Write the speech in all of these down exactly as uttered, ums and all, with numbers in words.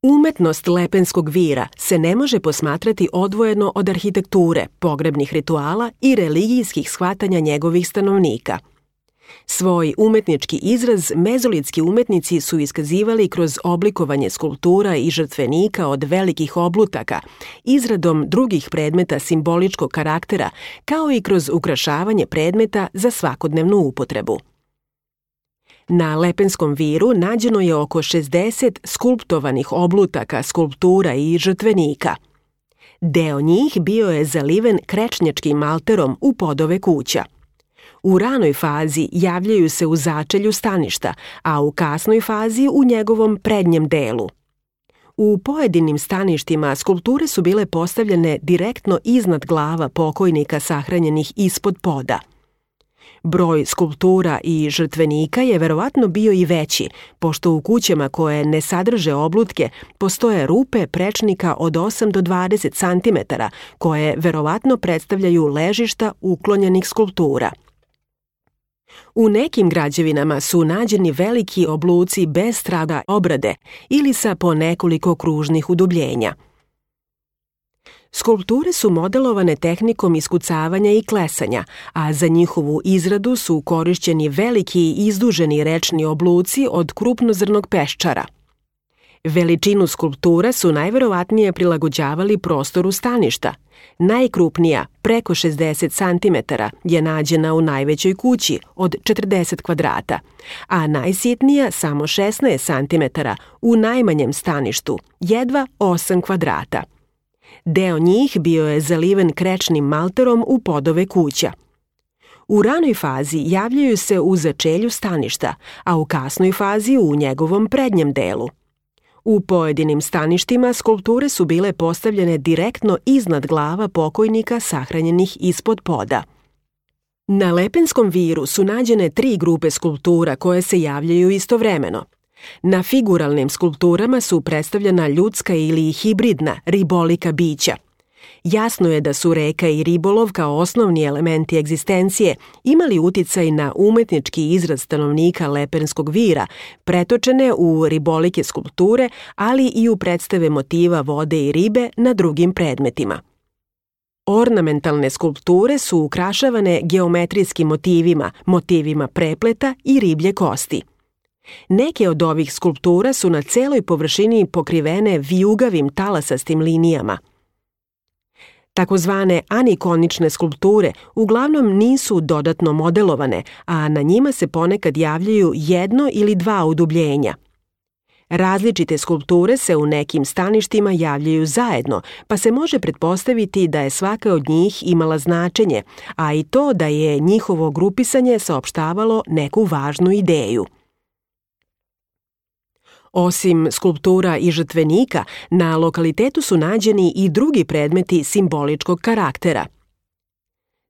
Umetnost lepenskog vira se ne može posmatrati odvojeno od arhitekture, pogrebnih rituala i religijskih shvatanja njegovih stanovnika. Svoj umetnički izraz mezolitski umetnici su iskazivali kroz oblikovanje skulptura i žrtvenika od velikih oblutaka, izradom drugih predmeta simboličkog karaktera, kao i kroz ukrašavanje predmeta za svakodnevnu upotrebu. Na Lepenskom viru nađeno je oko šezdeset skulptovanih oblutaka, skulptura i žrtvenika. Deo njih bio je zaliven krečnjačkim malterom u podove kuća. U ranoj fazi javljaju se u začelju staništa, a u kasnoj fazi u njegovom prednjem delu. U pojedinim staništima skulpture su bile postavljene direktno iznad glava pokojnika sahranjenih ispod poda. Broj skulptura i žrtvenika je verovatno bio i veći, pošto u kućama koje ne sadrže oblutke postoje rupe prečnika od osam do dvadeset centimetara, koje verovatno predstavljaju ležišta uklonjenih skulptura. U nekim građevinama su nađeni veliki obluci bez traga obrade ili sa po nekoliko kružnih udubljenja. Skulpture su modelovane tehnikom iskucavanja i klesanja, a za njihovu izradu su korišćeni veliki i izduženi rečni obluci od krupnozrnog peščara. Veličinu skulptura su najverovatnije prilagođavali prostoru staništa. Najkrupnija, preko šezdeset centimetara, je nađena u najvećoj kući od četrdeset kvadrata, a najsitnija samo šesnaest centimetara u najmanjem staništu, jedva osam kvadrata. Deo njih bio je zaliven krečnim malterom u podove kuća. U ranoj fazi javljaju se u začelju staništa, a u kasnoj fazi u njegovom prednjem delu. U pojedinim staništima skulpture su bile postavljene direktno iznad glava pokojnika sahranjenih ispod poda. Na Lepenskom viru su nađene tri grupe skulptura koje se javljaju istovremeno. Na figuralnim skulpturama su predstavljena ljudska ili hibridna ribolika bića. Jasno je da su reka i ribolov kao osnovni elementi egzistencije imali uticaj na umetnički izraz stanovnika Lepenskog vira, pretočene u ribolike skulpture, ali i u predstave motiva vode i ribe na drugim predmetima. Ornamentalne skulpture su ukrašavane geometrijskim motivima, motivima prepleta i riblje kosti. Neke od ovih skulptura su na celoj površini pokrivene vijugavim talasastim linijama. Takozvane anikonične skulpture uglavnom nisu dodatno modelovane, a na njima se ponekad javljaju jedno ili dva udubljenja. Različite skulpture se u nekim staništima javljaju zajedno, pa se može pretpostaviti da je svaka od njih imala značenje, a i to da je njihovo grupisanje saopštavalo neku važnu ideju. Osim skulptura i žrtvenika, na lokalitetu su nađeni i drugi predmeti simboličkog karaktera.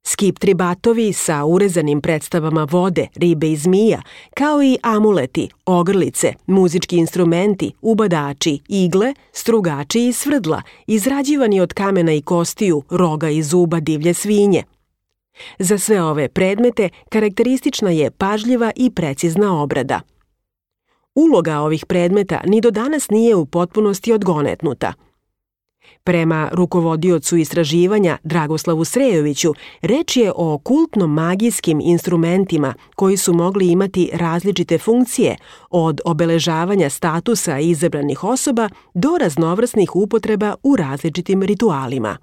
Skiptri batovi sa urezanim predstavama vode, ribe i zmija, kao i amuleti, ogrlice, muzički instrumenti, ubadači, igle, strugači i svrdla, izrađivani od kamena i kostiju, roga i zuba divlje svinje. Za sve ove predmete karakteristična je pažljiva i precizna obrada. Uloga ovih predmeta ni do danas nije u potpunosti odgonetnuta. Prema rukovodiocu istraživanja Dragoslavu Srejoviću, reč je o kultno-magijskim instrumentima koji su mogli imati različite funkcije, od obeležavanja statusa izabranih osoba do raznovrsnih upotreba u različitim ritualima.